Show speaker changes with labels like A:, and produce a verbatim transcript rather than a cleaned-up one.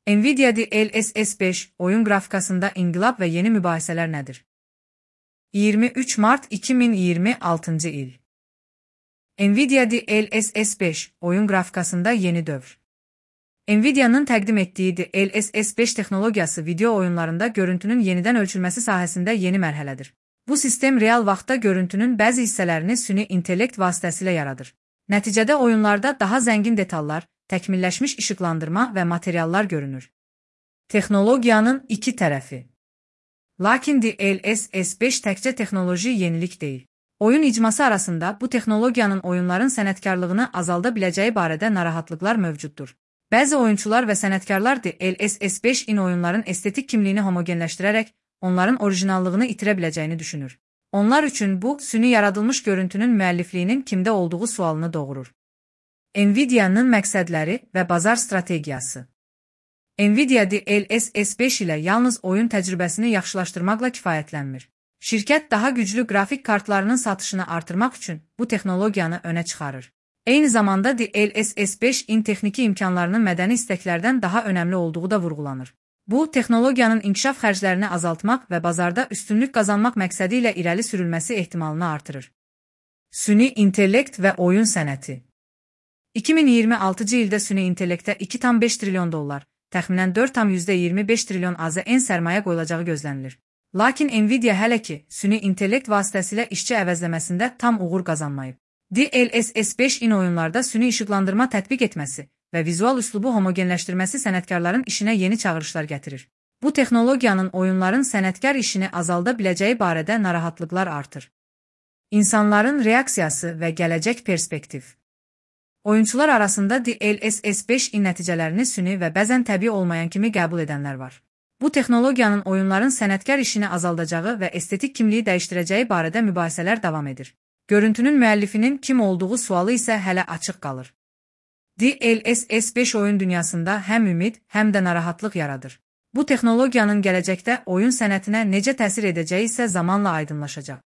A: Nvidia D L S S beş oyun grafikasında inqilab və yeni mübahisələr nədir? iyirmi üç Mart iki min iyirmi altıncı il. Nvidia D L S S beş oyun grafikasında yeni dövr. Nvidia'nın təqdim etdiyi D L S S beş texnologiyası video oyunlarında görüntünün yenidən ölçülməsi sahəsində yeni mərhələdir. Bu sistem real vaxtda görüntünün bəzi hissələrini süni intellekt vasitəsilə yaradır. Nəticədə oyunlarda daha zəngin detallar, təkmilləşmiş işıqlandırma və materiallar görünür. Texnologiyanın iki tərəfi. Lakin D L S S beş təkcə texnoloji yenilik deyil. Oyun icması arasında bu texnologiyanın oyunların sənətkarlığını azalda biləcəyi barədə narahatlıqlar mövcuddur. Bəzi oyunçular və sənətkarlar D L S S beş-in oyunların estetik kimliyini homogenləşdirərək onların orijinallığını itirə biləcəyini düşünür. Onlar üçün bu, süni yaradılmış görüntünün müəllifliyinin kimdə olduğu sualını doğurur. Nvidia'nın məqsədləri və bazar strategiyası. Nvidia D L S S beş ilə yalnız oyun təcrübəsini yaxşılaşdırmaqla kifayətlənmir. Şirkət daha güclü qrafik kartlarının satışını artırmaq üçün bu texnologiyanı önə çıxarır. Eyni zamanda D L S S beş-in texniki imkanlarının mədəni istəklərdən daha önəmli olduğu da vurğulanır. Bu, texnologiyanın inkişaf xərclərini azaltmaq və bazarda üstünlük qazanmaq məqsədi ilə irəli sürülməsi ehtimalını artırır. Süni intellekt və oyun sənəti. iki min iyirmi altıncı ildə süni intellektə iki tam beş trilyon dollar, təxminən dörd tam iyirmi beş trilyon A Z N sərmayə qoyulacağı gözlənilir. Lakin Nvidia hələ ki, süni intellekt vasitəsilə işçi əvəzləməsində tam uğur qazanmayıb. D L S S beş-in oyunlarda süni işıqlandırma tətbiq etməsi və vizual üslubu homogenləşdirməsi sənətkarların işinə yeni çağırışlar gətirir. Bu texnologiyanın oyunların sənətkar işini azalda biləcəyi barədə narahatlıqlar artır. İnsanların reaksiyası və gələcək perspektiv. Oyunçular arasında D L S S beş-in nəticələrini süni və bəzən təbii olmayan kimi qəbul edənlər var. Bu texnologiyanın oyunların sənətkar işini azaldacağı və estetik kimliyi dəyişdirəcəyi barədə mübahisələr davam edir. Görüntünün müəllifinin kim olduğu sualı isə hələ açıq qalır. D L S S beş oyun dünyasında həm ümid, həm də narahatlıq yaradır. Bu texnologiyanın gələcəkdə oyun sənətinə necə təsir edəcəyi isə zamanla aydınlaşacaq.